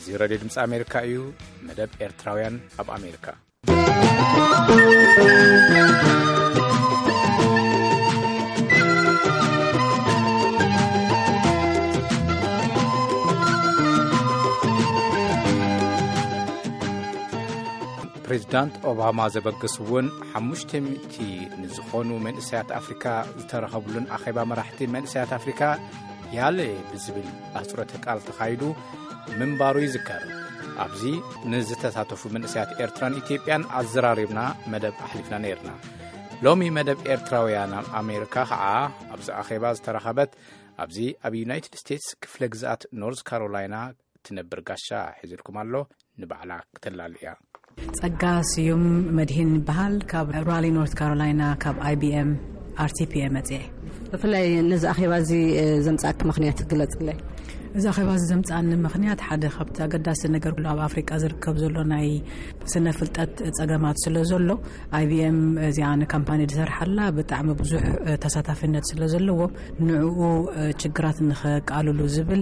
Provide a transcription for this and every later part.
እዚ ሬድዮ ድምፂ ኣሜሪካ እዩ። መደብ ኤርትራውያን ኣብ ኣሜሪካ። ፕሬዚዳንት ኦባማ ዘበገስዎን ሓሙሽተ ሚእቲ ንዝኾኑ መንእሰያት ኣፍሪካ ዝተረኸብሉን ኣኼባ መራሕቲ መንእሰያት ኣፍሪካ ያለ ብዝብል ኣህፅሮተ ቃል ተኻይዱ ምንባሩ ይዝከር። ኣብዚ ንዝተሳተፉ መንእሰያት ኤርትራን ኢትዮጵያን ኣዘራሪብና መደብ ኣሕሊፍና ነይርና። ሎሚ መደብ ኤርትራውያን ኣብ ኣሜሪካ ኸዓ ኣብዚ ኣኼባ ዝተረኸበት፣ ኣብዚ ኣብ ዩናይትድ ስቴትስ ክፍለ ግዝኣት ኖርዝ ካሮላይና ትነብር ጋሻ ሒዝልኩም ኣሎ። ንባዕላ ክተላሉ እያ። ጸጋ ስዩም መድሂን ይበሃል። ካብ ራሊ ኖርት ካሮላይና ካብ ኣይቢኤም ኣርቲፒኤ መጽኤ። ብፍላይ ነዚ ኣኼባ እዚ ዘምጻእክ ምኽንያት ግለጽለይ። እዚ ኣኼባ እዚ ዘምጻእኒ ምኽንያት ሓደ ካብቲ ኣገዳሲ ነገር ኩሉ ኣብ ኣፍሪቃ ዝርከብ ዘሎ ናይ ስነ ፍልጠት ጸገማት ስለ ዘሎ፣ ኣይቢኤም እዚኣ ንካምፓኒ ዝሰርሓላ ብጣዕሚ ብዙሕ ተሳታፍነት ስለ ዘለዎ፣ ንዕኡ ችግራት ንኸቃልሉ ዝብል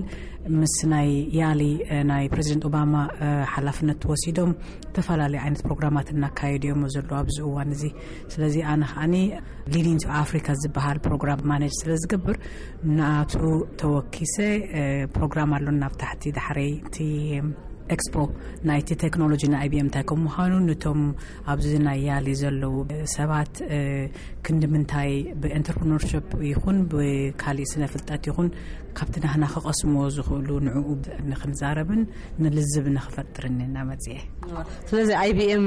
ምስ ናይ ያሊ ናይ ፕሬዚደንት ኦባማ ሓላፍነት ወሲዶም ዝተፈላለዩ ዓይነት ፕሮግራማት እናካየዱ እዮም ዘለዉ ኣብዚ እዋን እዚ። ስለዚ ኣነ ከዓኒ ሊዲንግ ቱ ኣፍሪካ ዝበሃል ፕሮግራም ማኔጅ ስለ ዝገብር፣ ንኣቱ ተወኪሰ ፕሮግራም ኣሎና ኣብ ታሕቲ ዳሕረይ እቲ ኤክስፖ ናይቲ ቴክኖሎጂ ናይ ኣይቢኤም እንታይ ከም ምዃኑ፣ ነቶም ኣብዚ ናይ ያሊ ዘለዉ ሰባት ክንዲ ምንታይ ብኤንተርፕረነርሽፕ ይኹን ብካሊእ ስነ ፍልጠት ይኹን ካብቲ ናህና ክቐስምዎ ዝኽእሉ ንዕኡ ንኽንዛረብን ንልዝብ ንኽፈጥርን ኢና መፅኤ። ስለዚ ኣይቢኤም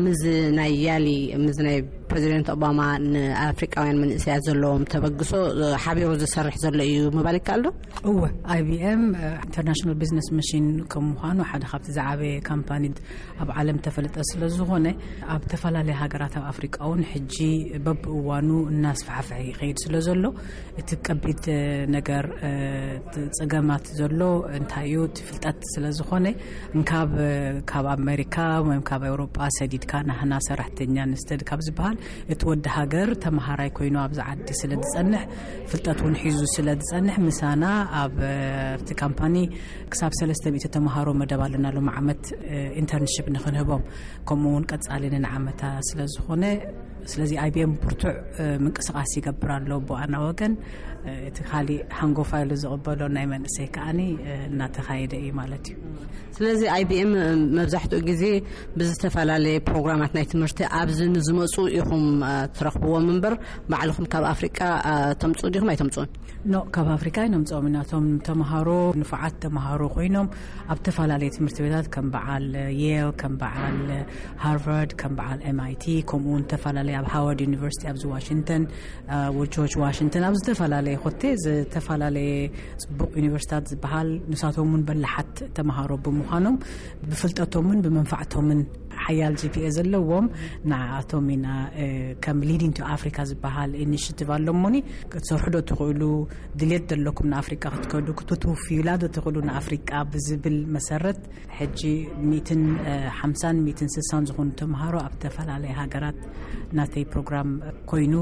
ምስ ናይ ያሊ፣ ምስ ናይ ፕሬዚደንት ኦባማ ንኣፍሪቃውያን መንእሰያት ዘለዎም ተበግሶ ሓቢሩ ዝሰርሕ ዘሎ እዩ ምባል ይከኣል ዶ? እወ፣ ኣይቢኤም ኢንተርናሽናል ቢዝነስ መሽን ከም ምዃኑ ሓደ ካብቲ ዝዓበየ ካምፓኒ ኣብ ዓለም ተፈለጠ ስለ ዝኾነ፣ ኣብ ተፈላለየ ሃገራት ኣብ ኣፍሪቃ እውን ሕጂ በብእዋኑ እናስፋሕፍሐ ይኸይድ ስለ ዘሎ፣ እቲ ቀቢድ ነገር ጸገማት ዘሎ እንታይ እዩ? እቲ ፍልጠት ስለ ዝኾነ፣ እንካብ ካብ ኣሜሪካ ወይ ካብ ኤውሮጳ ሰዲድካ ናህና ሰራሕተኛ ንስተድ ካብ ዝበሃል፣ እቲ ወዲ ሃገር ተመሃራይ ኮይኑ ኣብዚ ዓዲ ስለ ዝጸንሕ፣ ፍልጠት እውን ሒዙ ስለ ዝጸንሕ፣ ምሳና ኣብ እቲ ካምፓኒ ክሳብ ሰለስተ ሚእቲ ተምሃሮ መደብ ኣለና። ሎም ዓመት ኢንተርንሽፕ ንክንህቦም፣ ከምኡ እውን ቀጻሊ ንንዓመታ ስለ ዝኾነ፣ ስለዚ ኣይቢኤም ብርቱዕ ምንቅስቃስ ይገብር ኣሎ ብኣና ወገን። እቲ ካሊእ ሃንጎፋ ኢሉ ዝቕበሎ ናይ መንእሰይ ከዓኒ እናተኻየደ እዩ ማለት እዩ። ስለዚ ኣይቢኤም መብዛሕትኡ ግዜ ብዝተፈላለየ ፕሮግራማት ናይ ትምህርቲ ኣብዚ ንዝመፁ ኢኹም ትረኽብዎም እምበር፣ ባዕልኹም ካብ ኣፍሪቃ ተምፅኡ ዲኹም ኣይተምፅኡን? ኖ፣ ካብ ኣፍሪካ ኣይነምፅኦም ኢና። እቶም ተምሃሮ ንፉዓት ተምሃሮ ኮይኖም ኣብ ዝተፈላለየ ትምህርቲ ቤታት ከም በዓል ዬል፣ ከም በዓል ሃርቫርድ፣ ከም በዓል ኤምኣይቲ፣ ከምኡ እውን ዝተፈላለየ ኣብ ሃዋርድ ዩኒቨርሲቲ ኣብዚ ዋሽንግተን፣ ጆርጅ ዋሽንግተን፣ ኣብ ዝተፈላለየ ኮቴ ዝተፈላለየ ፅቡቕ ዩኒቨርሲታት ዝበሃል፣ ንሳቶም እውን በላሓት ተምሃሮ ብምዃኖም ብፍልጠቶምን ብመንፋዕቶምን ሓያል ጂፒኤ ዘለዎም፣ ንዓኣቶም ኢና ከም ሊዲንግ ቱ ኣፍሪካ ዝበሃል ኢኒሽቲቭ ኣሎሞኒ ክትሰርሑ ዶ ትኽእሉ፣ ድሌት ዘለኩም ንኣፍሪቃ ክትከዱ ክትትውፍዩላ ዶ ትኽእሉ ንኣፍሪቃ ብዝብል መሰረት፣ ሕጂ ሚእትን ሓምሳን ሚእትን ስሳን ዝኾኑ ተምሃሮ ኣብ ዝተፈላለየ ሃገራት ናተይ ፕሮግራም ኮይኑ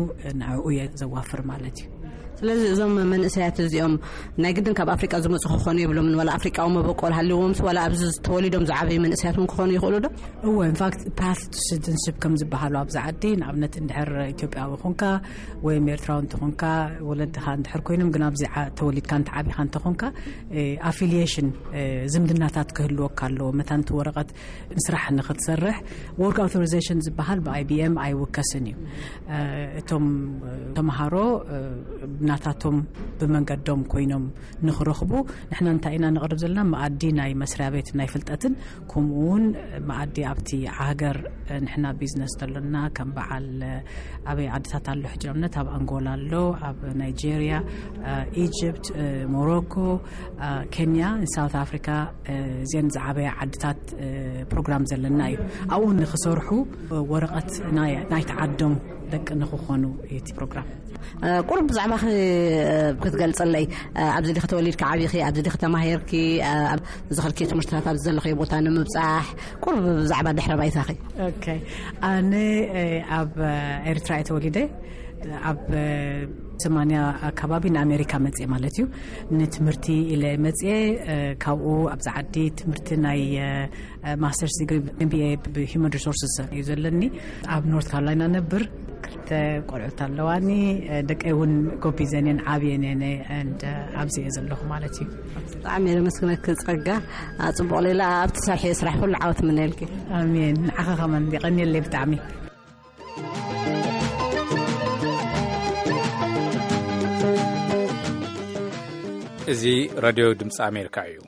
ንዕኡ እየ ዘዋፍር ማለት እዩ። ስለዚ እዞም መንእሰያት እዚኦም ናይ ግድን ካብ ኣፍሪቃ ዝመፁ ክኾኑ የብሎምን፣ ዋላ ኣፍሪቃዊ መበቆል ሃልዎም፣ ዋላ ኣብዚ ተወሊዶም ዝዓበዩ መንእሰያት እውን ክኾኑ ይኽእሉ ዶ? እወ፣ ኢንፋክት ፓት ቱ ሲቲዝንሽፕ ከም ዝበሃሉ ኣብዚ ዓዲ፣ ንኣብነት እንድሕር ኢትዮጵያዊ ኾንካ ወይም ኤርትራዊ እንተኾንካ፣ ወለድኻ እንድሕር ኮይኖም ግን ኣብዚ ተወሊድካ እንተዓቢኻ እንተኾንካ፣ ኣፊሊሽን ዝምድናታት ክህልወካ ኣለዎ። መታን እቲ ወረቐት ንስራሕ ንክትሰርሕ፣ ወርክ ኣውቶሪዜሽን ዝበሃል ብኣይቢኤም ኣይውከስን እዩ። እቶም ተምሃሮ ናታቶም ብመንገዶም ኮይኖም ንክረኽቡ፣ ንሕና እንታይ ኢና ንቕርብ ዘለና? መኣዲ ናይ መስሪያ ቤት ናይ ፍልጠትን፣ ከምኡ እውን መኣዲ ኣብቲ ሃገር ንሕና ቢዝነስ ዘሎና ከም በዓል ኣበይ ዓድታት ኣሎ? ሕጂ ኣብነት ኣብ ኣንጎላ ኣሎ፣ ኣብ ናይጄርያ፣ ኢጅፕት፣ ሞሮኮ፣ ኬንያ፣ ሳውት ኣፍሪካ፣ እዚአን ዝዓበያ ዓድታት ፕሮግራም ዘለና እዩ። ኣብኡ ንክሰርሑ ወረቐት ናይ ናይቲ ዓዶም ደቂ ንክኾኑ እዩ እቲ ፕሮግራም። ቁሩብ ብዛዕባኺ ክትገልጽለይ፣ ኣብዚ ዲኺ ተወሊድኪ ዓቢኺ፣ ኣብዚ ዲኺ ተማሂርኪ፣ ዝኸድኪ ትምህርትታት ኣብዚ ዘለኽዮ ቦታ ንምብጻሕ ቁሩብ ብዛዕባ ድሕረ ባይታኺ። ኦኬ፣ ኣነ ኣብ ኤርትራ እየ ተወሊደ። ኣብ ሰማንያ ኣካባቢ ንኣሜሪካ መፅኤ ማለት እዩ። ንትምህርቲ ኢለ መፅኤ። ካብኡ ኣብዚ ዓዲ ትምህርቲ ናይ ማስተርስ ዲግሪ ም ቢ ኤ ብሂማን ሪሶርስስ እዩ ዘለኒ። ኣብ ኖርት ካሮላይና ነብር። ክልተ ቆልዑት ኣለዋኒ። ደቀይ እውን ጎቢዘን እየን፣ ዓብየን እየን። And ኣብዚ እየ ዘለኹ ማለት እዩ። ብጣዕሚ እየ ለመስግነኪ ጸጋ። ጽቡቕ ሌላ ኣብ ትሰርሕዮ ስራሕ ኩሉ ዓወት ምነልኪ። ኣሜን። ንዓኻ ከማን የቐንየለይ ብጣዕሚ። እዚ ራድዮ ድምፂ ኣሜሪካ እዩ።